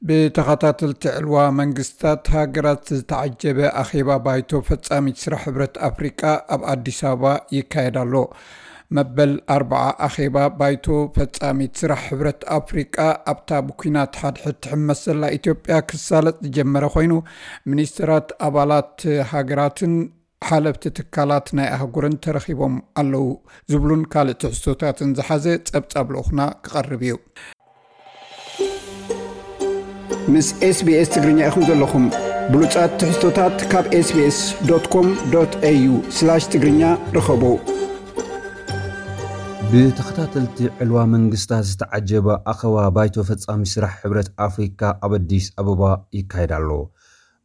ብተኸታተልቲ ዕልዋ መንግስታት ሃገራት ዝተዓጀበ ኣኼባ ባይቶ ፈጻሚት ስራሕ ሕብረት ኣፍሪቃ ኣብ ኣዲስ ኣበባ ይካየድ ኣሎ። መበል ኣርብዓ ኣኼባ ባይቶ ፈጻሚት ስራሕ ሕብረት ኣፍሪቃ ኣብታ ብኲናት ሓድሕድ ትሕመስ ዘላ ኢትዮጵያ ክሳለጥ ዝጀመረ ኮይኑ፣ ሚኒስትራት ኣባላት ሃገራትን ሓለፍቲ ትካላት ናይ ኣህጉርን ተረኺቦም ኣለዉ ዝብሉን ካልእ ትሕዝቶታትን ዝሓዘ ጸብጻብ ልኡኽና ክቐርብ እዩ። ምስ SBS ትግርኛ ኢኹም ዘለኹም። ብሉጻት ትሕዝቶታት ካብ SBS.com.au/ትግርኛ ርኸቡ። ብተኸታተልቲ ዕልዋ መንግስታት ዝተዓጀበ ኣኸባ ባይቶ ፈጻሚ ስራሕ ሕብረት ኣፍሪካ ኣብ ኣዲስ ኣበባ ይካየድ ኣሎ።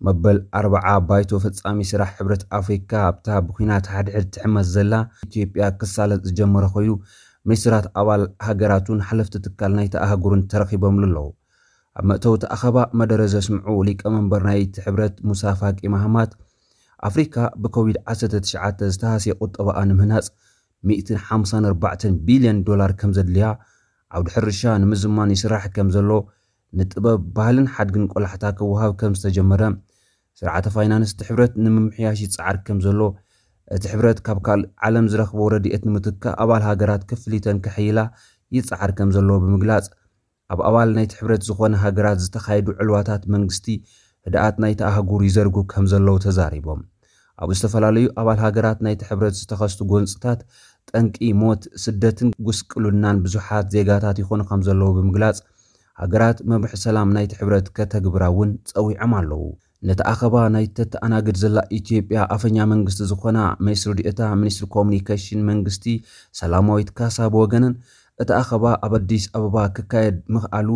መበል ኣርብዓ ባይቶ ፈጻሚ ስራሕ ሕብረት ኣፍሪካ ኣብታ ብኲናት ሓድሕድ ትሕመስ ዘላ ኢትዮጵያ ክሳለጥ ዝጀመረ ኮይኑ፣ ሚኒስትራት ኣባል ሃገራቱን ሓለፍቲ ትካል ናይቲ ኣህጉርን ተረኺቦምሉ ኣለዉ። ኣብ መእተውቲ ኣኸባ መደረ ዘስምዑ ሊቀመንበር ናይቲ ሕብረት ሙሳ ፋቂ ማህማት፣ ኣፍሪካ ብኮቪድ ዓሰርተ ትሽዓተ ዝተሃስየ ቁጠባኣ ንምህናጽ ሚእትን ሓምሳን ኣርባዕተን ቢልዮን ዶላር ከም ዘድልያ፣ ዓውዲ ሕርሻ ንምዝማን ይስራሕ ከም ዘሎ፣ ንጥበብ፣ ባህልን ሓድግን ቆላሕታ ክወሃብ ከም ዝተጀመረ፣ ስርዓተ ፋይናንስ እቲ ሕብረት ንምምሕያሽ ይጽዓር ከም ዘሎ፣ እቲ ሕብረት ካብ ካልእ ዓለም ዝረኽቦ ረድኤት ንምትካእ ኣባል ሃገራት ክፍሊተን ከሐይላ ይጽዓር ከም ዘሎ ብምግላጽ፣ ኣብ ኣባል ናይቲ ሕብረት ዝኾነ ሃገራት ዝተኻየዱ ዕልዋታት መንግስቲ ህድኣት ናይቲ ኣህጉር ይዘርጉ ከም ዘለዉ ተዛሪቦም። ኣብ ዝተፈላለዩ ኣባል ሃገራት ናይቲ ሕብረት ዝተኸስቱ ጎንጽታት ጠንቂ ሞት፣ ስደትን ጉስቅልናን ብዙሓት ዜጋታት ይኾኑ ከም ዘለዉ ብምግላጽ፣ ሃገራት መምርሒ ሰላም ናይቲ ሕብረት ከተግብራ እውን ጸዊዖም ኣለዉ። ነቲ ኣኸባ ናይ ተተኣናግድ ዘላ ኢትዮጵያ ኣፈኛ መንግስቲ ዝኾና ሚኒስትሪ ዲኤታ ሚኒስትሪ ኮሙኒኬሽን መንግስቲ ሰላማዊት ካሳ ብወገነን፣ እቲ ኣኸባ ኣብ ኣዲስ ኣበባ ክካየድ ምኽኣሉ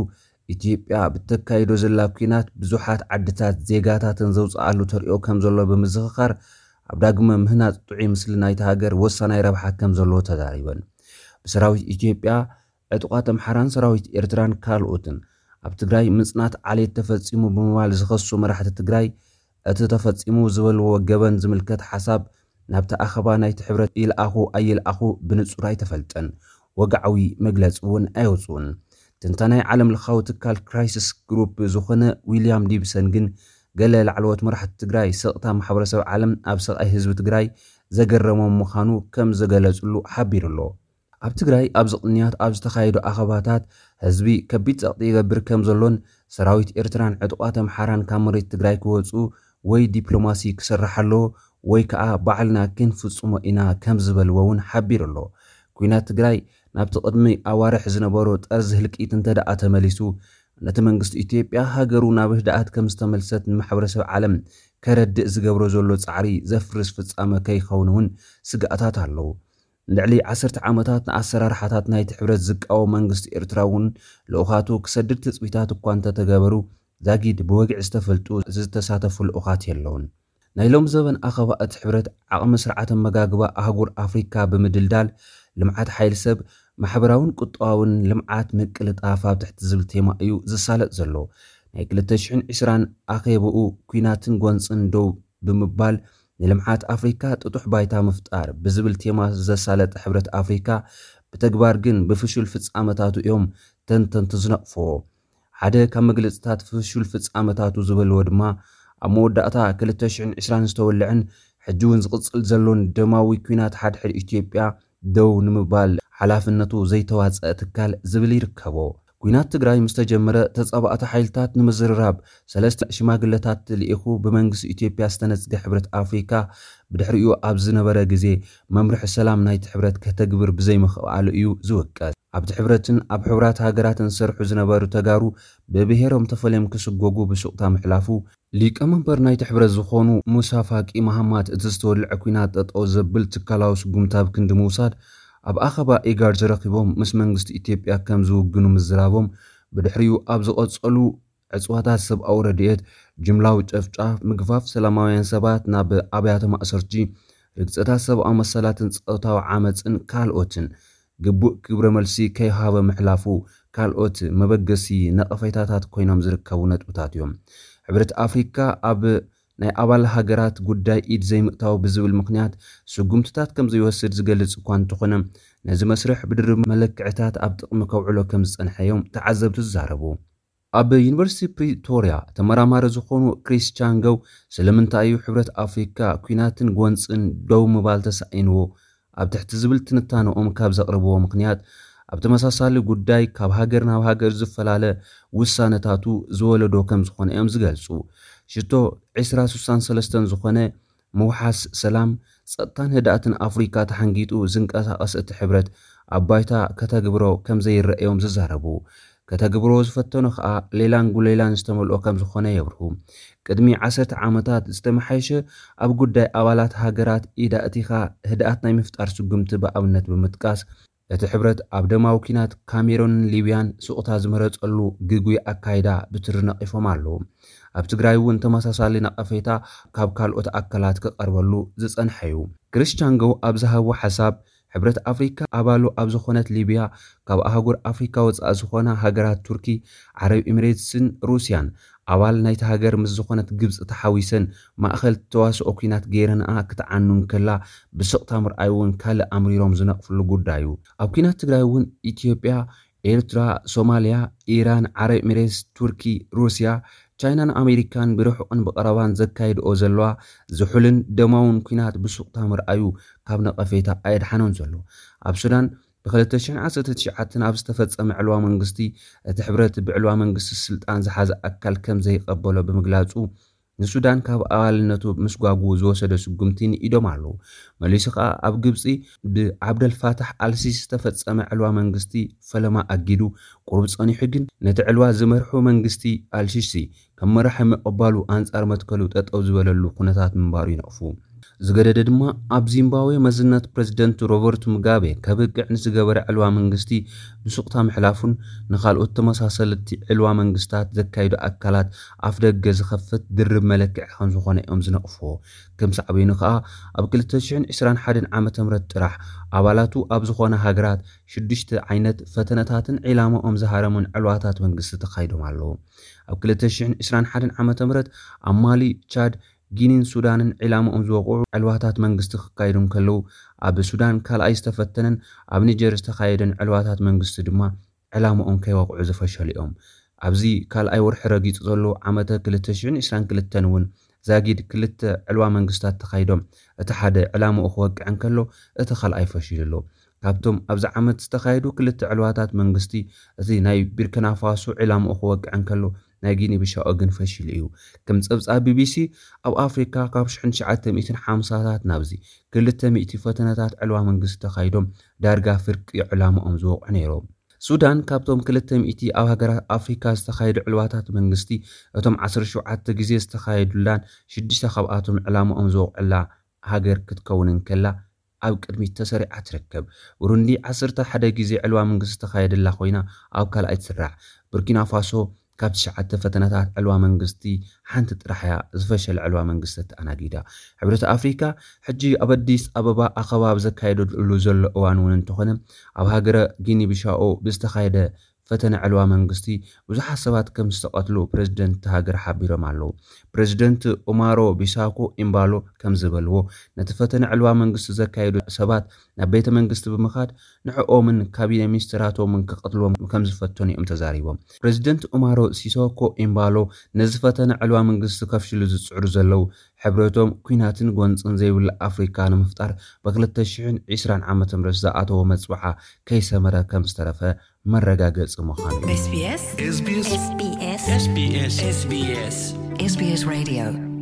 ኢትዮጵያ ብተካይዶ ዘላ ኲናት ብዙሓት ዓድታት ዜጋታተን ዘውፅኣሉ ተሪኦ ከም ዘሎ ብምዝኽኻር፣ ኣብ ዳግመ ምህናፅ ጥዑይ ምስሊ ናይቲ ሃገር ወሳናይ ረብሓ ከም ዘለዎ ተዛሪበን። ብሰራዊት ኢትዮጵያ፣ ዕጡቓት ኣምሓራን ሰራዊት ኤርትራን ካልኦትን ኣብ ትግራይ ምፅናት ዓሌት ተፈፂሙ ብምባል ዝኸሱ መራሕቲ ትግራይ፣ እቲ ተፈፂሙ ዝበልዎ ገበን ዝምልከት ሓሳብ ናብቲ ኣኸባ ናይቲ ሕብረት ይልኣኹ ኣይልኣኹ ብንፁር ኣይተፈልጠን። ወግዓዊ መግለፂ እውን ኣየውፅኡን። ትንታናይ ዓለም ለኻዊ ትካል ክራይሲስ ግሩፕ ዝኾነ ዊልያም ዲብሰን ግን፣ ገለ ላዕለዎት መራሕቲ ትግራይ ስቕታ ማሕበረሰብ ዓለም ኣብ ስቓይ ህዝቢ ትግራይ ዘገረሞም ምዃኑ ከም ዘገለፅሉ ሓቢሩ ኣሎ። ኣብ ትግራይ ኣብዚ ቅንያት ኣብ ዝተኻየዱ ኣኸባታት ህዝቢ ከቢድ ጸቕጢ ይገብር ከም ዘሎን፣ ሰራዊት ኤርትራን ዕጡቓት ኣምሓራን ካብ መሬት ትግራይ ክወጹ ወይ ዲፕሎማሲ ክሰርሕ ኣለዎ ወይ ከኣ ባዕልና ክንፍጽሞ ኢና ከም ዝበልዎ እውን ሓቢሩ ኣሎ። ኲናት ትግራይ ናብቲ ቅድሚ ኣዋርሕ ዝነበሮ ጠርዚ ህልቂት እንተ ደኣ ተመሊሱ፣ ነቲ መንግስቲ ኢትዮጵያ ሃገሩ ናብ ህድኣት ከም ዝተመልሰት ንማሕበረሰብ ዓለም ከረድእ ዝገብሮ ዘሎ ጻዕሪ ዘፍርስ ፍጻመ ከይኸውን እውን ስግኣታት ኣለዉ። ንልዕሊ ዓሰርተ ዓመታት ንኣሰራርሓታት ናይቲ ሕብረት ዝቃወም መንግስቲ ኤርትራ እውን ልኡኻቱ ክሰድድ ትጽቢታት እኳ እንተተገበሩ፣ ዛጊድ ብወግዒ ዝተፈልጡ ዝተሳተፉ ልኡኻት የለውን። ናይ ሎም ዘበን ኣኸባ እቲ ሕብረት ዓቕሚ ስርዓተ መጋግባ ኣህጉር ኣፍሪካ ብምድልዳል፣ ልምዓት ሓይሊ ሰብ፣ ማሕበራውን ቁጠባውን ልምዓት ምቅልጣፍ ኣብ ትሕቲ ዝብል ቴማ እዩ ዝሳለጥ ዘሎ። ናይ ክልተ ሽሕን ዕስራን ኣኼብኡ ኲናትን ጎንፅን ደው ብምባል ንልምዓት ኣፍሪካ ጥጡሕ ባይታ ምፍጣር ብዝብል ቴማ ዘሳለጠ ሕብረት ኣፍሪካ፣ ብተግባር ግን ብፍሹል ፍጻመታቱ እዮም ተንተንቲ ዝነቕፍዎ። ሓደ ካብ መግለጽታት ፍሹል ፍጻመታቱ ዝበልዎ ድማ፣ ኣብ መወዳእታ ክልተ ሽሕን ዕስራን ዝተወልዐን ሕጂ እውን ዝቕጽል ዘሎን ደማዊ ኲናት ሓድሕድ ኢትዮጵያ ደው ንምባል ሓላፍነቱ ዘይተዋጸአ ትካል ዝብል ይርከቦ። ኲናት ትግራይ ምስ ተጀመረ፣ ተጻባእቲ ሓይልታት ንምዝርራብ ሰለስተ ሽማግለታት ልኢኹ ብመንግስቲ ኢትዮጵያ ዝተነጽገ ሕብረት ኣፍሪካ፣ ብድሕሪኡ ኣብ ዝነበረ ግዜ መምርሒ ሰላም ናይቲ ሕብረት ከተግብር ብዘይምኽኣሉ እዩ ዝውቀስ። ኣብቲ ሕብረትን ኣብ ሕቡራት ሃገራትን ዝሰርሑ ዝነበሩ ተጋሩ ብብሄሮም ተፈልዮም ክስጎጉ ብሱቕታ ምሕላፉ፣ ሊቀመንበር ናይቲ ሕብረት ዝኾኑ ሙሳ ፋቂ መሃማት፣ እቲ ዝተወልዐ ኲናት ጠጠው ዘብል ትካላዊ ስጉምቲ ኣብ ክንዲ ምውሳድ፣ ኣብ ኣኸባ ኢጋድ ተረኺቦም ምስ መንግስቲ ኢትዮጵያ ከም ዝውግኑ ምዝራቦም፣ ብድሕሪኡ ኣብ ዝቐጸሉ ዕጽዋታት ሰብኣዊ ረድኤት፣ ጅምላዊ ጨፍጫፍ፣ ምግፋፍ ሰላማውያን ሰባት ናብ ኣብያተ ማእሰርቲ፣ ርግጸታት ሰብኣዊ መሰላትን ጾታዊ ዓመጽን ካልኦትን ግቡእ ግብረ መልሲ ከይሃበ ምሕላፉ ካልኦት መበገሲ ነቐፌታታት ኮይኖም ዝርከቡ ነጥብታት እዮም። ሕብረት ኣፍሪካ ኣብ ናይ ኣባል ሃገራት ጉዳይ ኢድ ዘይምእታው ብዝብል ምኽንያት ስጉምትታት ከም ዘይወስድ ዝገልጽ እኳ እንተኾነ፣ ነዚ መስርሕ ብድርብ መለክዕታት ኣብ ጥቕሚ ከውዕሎ ከም ዝጸንሐ እዮም ተዓዘብቲ ዝዛረቡ። ኣብ ዩኒቨርሲቲ ፕሪቶርያ ተመራማሪ ዝኾኑ ክሪስ ቻንገው፣ ስለምንታይ እዩ ሕብረት ኣፍሪካ ኲናትን ጎንፅን ደው ምባል ተሳኢንዎ ኣብ ትሕቲ ዝብል ትንታነኦም ካብ ዘቕርብዎ ምኽንያት፣ ኣብ ተመሳሳሊ ጉዳይ ካብ ሃገር ናብ ሃገር ዝፈላለ ውሳነታቱ ዝወለዶ ከም ዝኾነ እዮም ዝገልፁ። ሽቶ ዕስራ ስሳን ሰለስተን ዝኾነ ምውሓስ ሰላም፣ ጸጥታን ህድኣትን ኣፍሪካ ተሓንጊጡ ዝንቀሳቐስ እቲ ሕብረት ኣብ ባይታ ከተግብሮ ከም ዘይረኣዮም ዝዛረቡ። ከተግብሮ ዝፈተኖ ከኣ ሌላን ጉሌላን ዝተመልኦ ከም ዝኾነ የብርሁ። ቅድሚ ዓሰርተ ዓመታት ዝተመሓየሸ ኣብ ጉዳይ ኣባላት ሃገራት ኢድ ኣእቲኻ ህድኣት ናይ ምፍጣር ስጉምቲ ብኣብነት ብምጥቃስ፣ እቲ ሕብረት ኣብ ደማዊ ኲናት ካሜሮንን ሊብያን ስቕታ ዝመረጸሉ ግጉይ ኣካይዳ ብትሪ ነቒፎም ኣለዉ። ኣብ ትግራይ እውን ተመሳሳሊ ነቐፌታ ካብ ካልኦት ኣካላት ክቐርበሉ ዝጸንሐ እዩ። ክሪስ ቻንጎ ኣብ ዝሃቦ ሓሳብ፣ ሕብረት ኣፍሪካ ኣባሉ ኣብ ዝኾነት ሊብያ፣ ካብ ኣህጉር ኣፍሪካ ወጻኢ ዝኾና ሃገራት ቱርኪ፣ ዓረብ ኤሚሬትስን ሩስያን፣ ኣባል ናይቲ ሃገር ምስ ዝኾነት ግብጺ ተሓዊሰን ማእኸል ተዋስኦ ኲናት ገይረንኣ ክትዓኑ እንከላ፣ ብስቕታ ምርኣይ እውን ካልእ ኣምሪሮም ዝነቕፍሉ ጉዳይ እዩ። ኣብ ኲናት ትግራይ እውን ኢትዮጵያ፣ ኤርትራ፣ ሶማልያ፣ ኢራን፣ ዓረብ ኤሚሬትስ፣ ቱርኪ፣ ሩስያ፣ ቻይናን ኣሜሪካን ብርሑቕን ብቐረባን ዘካይድኦ ዘለዋ ዝሑልን ደማውን ኲናት ብሱቕታ ምርኣዩ ካብ ነቐፌታ ኣየድሓኖን ዘሎ። ኣብ ሱዳን ብ ክልተ ሽሕን ዓሰርተ ትሽዓተን ኣብ ዝተፈጸመ ዕልዋ መንግስቲ፣ እቲ ሕብረት ብዕልዋ መንግስቲ ስልጣን ዝሓዘ ኣካል ከም ዘይቐበሎ ብምግላጹ፣ ንሱዳን ካብ ኣባልነቱ ምስጓጉ ዝወሰደ ስጉምቲ ንኢዶም ኣለዉ። መሊሱ ከኣ ኣብ ግብጺ ብዓብደልፋታሕ ኣልሲሲ ዝተፈጸመ ዕልዋ መንግስቲ ፈለማ ኣጊዱ፣ ቁሩብ ጸኒሑ ግን ነቲ ዕልዋ ዝመርሑ መንግስቲ ኣልሲሲ ከም መራሒ ምቕባሉ ኣንጻር መትከሉ ጠጠው ዝበለሉ ኩነታት ምንባሩ ይነቕፉ። ዝገደደ ድማ ኣብ ዚምባብዌ መዝነት ፕረዚደንት ሮበርት ሙጋቤ ከብቅዕ ንዝገበረ ዕልዋ መንግስቲ ብሱቕታ ምሕላፉን ንኻልኦት ተመሳሰልቲ ዕልዋ መንግስታት ዘካይዱ ኣካላት ኣፍ ደገ ዝኸፍት ድርብ መለክዒ ከም ዝኾነ እዮም ዝነቕፍዎ። ከም ሳዕቤኑ ከኣ ኣብ ክልተ ሽሕን ዕስራን ሓደን ዓመተ ምህረት ጥራሕ ኣባላቱ ኣብ ዝኾነ ሃገራት ሽዱሽተ ዓይነት ፈተነታትን ዒላማኦም ዝሃረሙን ዕልዋታት መንግስቲ ተኻይዶም ኣለዉ። ኣብ ክልተ ሽሕን ዕስራን ሓደን ዓመተ ምህረት ኣብ ማሊ፣ ቻድ፣ ጊኒን ሱዳንን ዒላማኦም ዝወቕዑ ዕልዋታት መንግስቲ ክካየዱ እንከለዉ፣ ኣብ ሱዳን ካልኣይ ዝተፈተነን ኣብ ኒጀር ዝተኻየደን ዕልዋታት መንግስቲ ድማ ዕላማኦም ከይወቕዑ ዝፈሸሉ እዮም። ኣብዚ ካልኣይ ወርሒ ረጊጹ ዘሎ ዓመተ ክልተ ሽሕን ዕስራን ክልተን እውን ዛጊድ ክልተ ዕልዋ መንግስታት ተኻይዶም፣ እቲ ሓደ ዕላማኡ ክወቅዕ እንከሎ፣ እቲ ካልኣይ ፈሺሉ ኣሎ። ካብቶም ኣብዚ ዓመት ዝተኻየዱ ክልተ ዕልዋታት መንግስቲ፣ እቲ ናይ ቢርኪና ፋሶ ዕላማኡ ክወቅዕ እንከሎ፣ ናይ ጊኒ ቢሻኦ ግን ፈሺሉ እዩ። ከም ጸብጻብ ቢቢሲ፣ ኣብ ኣፍሪካ ካብ ሽሕን ትሽዓተ ሚእትን ሓምሳታት ናብዚ ክልተ ሚእቲ ፈተነታት ዕልዋ መንግስቲ ተኻይዶም፣ ዳርጋ ፍርቂ ዕላማኦም ዝወቕዑ ነይሮም። ሱዳን ካብቶም ክልተ ሚእቲ ኣብ ሃገራት ኣፍሪካ ዝተኻየዱ ዕልዋታት መንግስቲ፣ እቶም ዓሰርተ ሸውዓተ ግዜ ዝተኻየዱላን ሽዱሽተ ካብኣቶም ዕላማኦም ዝወቕዕላ ሃገር ክትከውን እንከላ፣ ኣብ ቅድሚት ተሰሪዓ ትርከብ። ብሩንዲ ዓሰርተ ሓደ ግዜ ዕልዋ መንግስቲ ዝተኻየደላ ኮይና፣ ኣብ ካልኣይ ትስራዕ። ቡርኪና ፋሶ ካብ ትሽዓተ ፈተነታት ዕልዋ መንግስቲ ሓንቲ ጥራሕ እያ ዝፈሸለ ዕልዋ መንግስቲ ተኣናጊዳ። ሕብረት ኣፍሪካ ሕጂ ኣብ ኣዲስ ኣበባ ኣኸባ ኣብ ዘካየደሉ ዘሎ እዋን እውን እንተኾነ፣ ኣብ ሃገረ ጊኒ ቢሻኦ ብዝተኻየደ ፈተነ ዕልዋ መንግስቲ ብዙሓት ሰባት ከም ዝተቐትሉ ፕረዚደንት እታ ሃገር ሓቢሮም ኣለዉ። ፕረዚደንት ኡማሮ ቢሳኮ ኢምባሎ ከም ዝበልዎ፣ ነቲ ፈተነ ዕልዋ መንግስቲ ዘካየዱ ሰባት ናብ ቤተ መንግስቲ ብምኻድ ንዕኦምን ካቢነ ሚኒስትራቶምን ክቐትልዎም ከም ዝፈተኑ እዮም ተዛሪቦም። ፕረዚደንት ኡማሮ ሲሶኮ ኢምባሎ ነዚ ፈተነ ዕልዋ መንግስቲ ከፍሽሉ ዝጽዕሩ ዘለዉ፣ ሕብረቶም ኲናትን ጎንጽን ዘይብሉ ኣፍሪካ ንምፍጣር ብ ክልተ ሽሕን ዕስራን ዓመተ ምህረት ዝኣተዎ መጽውዓ ከይሰመረ ከም ዝተረፈ መረጋገጺ ምዃኑ እዩ። SBS SBS SBS SBS SBS Radio